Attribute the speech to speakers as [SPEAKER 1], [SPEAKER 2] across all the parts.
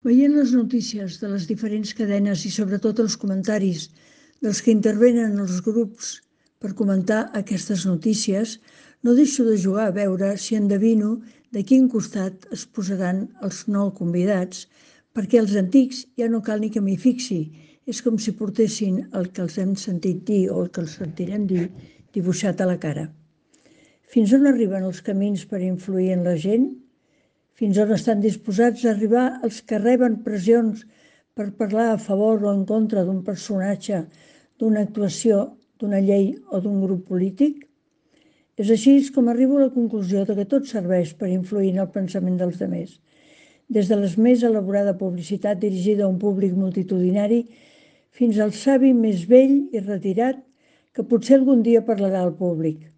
[SPEAKER 1] Veient les notícies de les diferents cadenes i sobretot els comentaris dels que intervenen en els grups per comentar aquestes notícies, no deixo de jugar a veure si endevino de quin costat es posaran els nou convidats, perquè els antics ja no cal ni que m'hi fixi. És com si portessin el que els hem sentit dir o el que els sentirem dir dibuixat a la cara. Fins on arriben els camins per influir en la gent? Fins on estan disposats a arribar els que reben pressions per parlar a favor o en contra d'un personatge, d'una actuació, d'una llei o d'un grup polític? És així com arribo a la conclusió que tot serveix per influir en el pensament dels demés, des de la més elaborada publicitat dirigida a un públic multitudinari fins al savi més vell i retirat que potser algun dia parlarà al públic.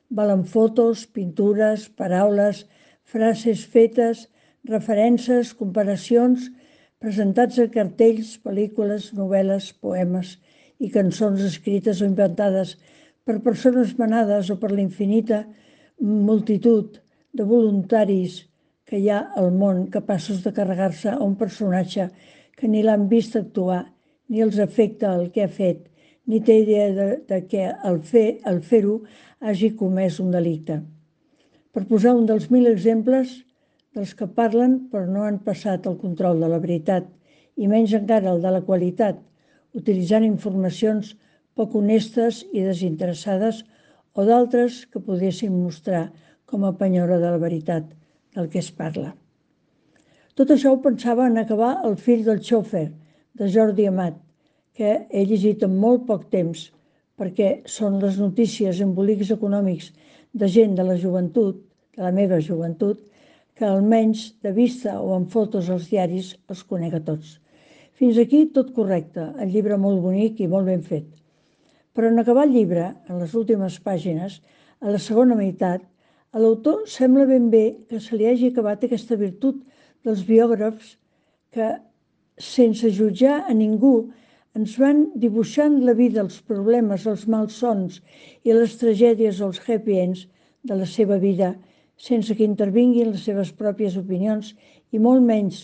[SPEAKER 1] Valen fotos, pintures, paraules, frases fetes, referències, comparacions, presentats a cartells, pel·lícules, novel·les, poemes i cançons escrites o inventades per persones manades o per la infinita multitud de voluntaris que hi ha al món capaços de carregar-se a un personatge que ni l'han vist actuar, ni els afecta el que ha fet, ni té idea de que al fer-ho hagi comès un delicte. Per posar un dels 1000 exemples dels que parlen però no han passat el control de la veritat i menys encara el de la qualitat, utilitzant informacions poc honestes i desinteressades o d'altres que poguessin mostrar com a penyora de la veritat del que es parla. Tot això ho pensava en acabar El fill del xòfer, de Jordi Amat, que he llegit en molt poc temps, perquè són les notícies embolics econòmics de gent de la joventut, de la meva joventut, que almenys de vista o en fotos als diaris els conec a tots. Fins aquí tot correcte, el llibre molt bonic i molt ben fet. Però en acabar el llibre, en les últimes pàgines, a la segona meitat, a l'autor sembla ben bé que se li hagi acabat aquesta virtut dels biògrafs que, sense jutjar a ningú, ens van dibuixant la vida, els problemes, els malsons i les tragèdies o els happy ends de la seva vida, sense que intervinguin les seves pròpies opinions i molt menys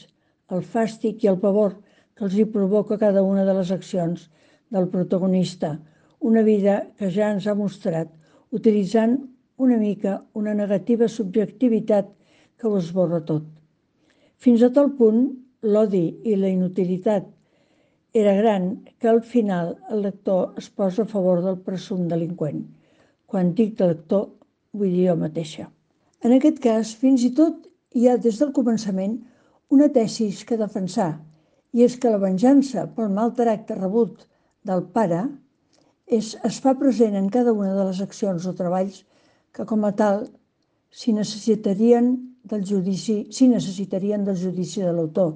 [SPEAKER 1] el fàstic i el pavor que els hi provoca cada una de les accions del protagonista, una vida que ja ens ha mostrat utilitzant una mica una negativa subjectivitat que ho esborra tot. Fins a tal punt, l'odi i la inutilitat era gran que al final el lector es posa a favor del presumpte delinqüent. Quan dic lector, vull dir jo mateixa. En aquest cas, fins i tot hi ha des del començament una tesis que defensar, i és que la venjança pel mal tracte rebut del pare es fa present en cada una de les accions o treballs que com a tal s'hi necessitarien del judici de l'autor,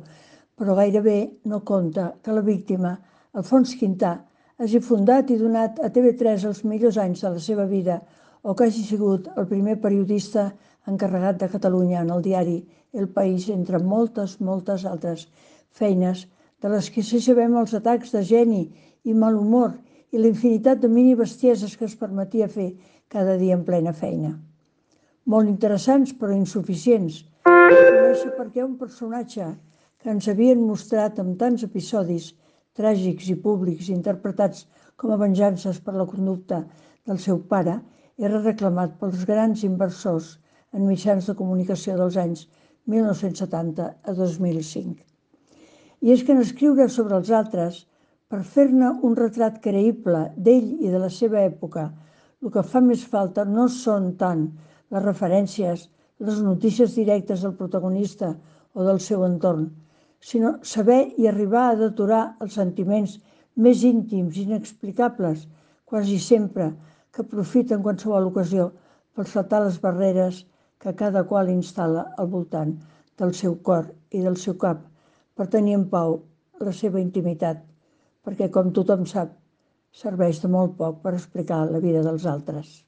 [SPEAKER 1] però gairebé no compta que la víctima, Alfons Quintà, hagi fundat i donat a TV3 els millors anys de la seva vida o que hagi sigut el primer periodista encarregat de Catalunya en el diari El País, entre moltes altres feines de les que sí sabem els atacs de geni i mal humor i la infinitat de mini-bestieses que es permetia fer cada dia en plena feina. Molt interessants però insuficients. Conèixer per què un personatge que ens havien mostrat amb tants episodis tràgics i públics interpretats com a venjances per la conducta del seu pare era reclamat pels grans inversors en mitjans de comunicació dels anys 1970 a 2005. I és que en escriure sobre els altres, per fer-ne un retrat creïble d'ell i de la seva època, el que fa més falta no són tant les referències, les notícies directes del protagonista o del seu entorn, sinó saber i arribar a deturar els sentiments més íntims i inexplicables, quasi sempre, que aprofiten qualsevol ocasió per saltar les barreres que cada qual instal·la al voltant del seu cor i del seu cap per tenir en pau la seva intimitat, perquè, com tothom sap, serveix de molt poc per explicar la vida dels altres.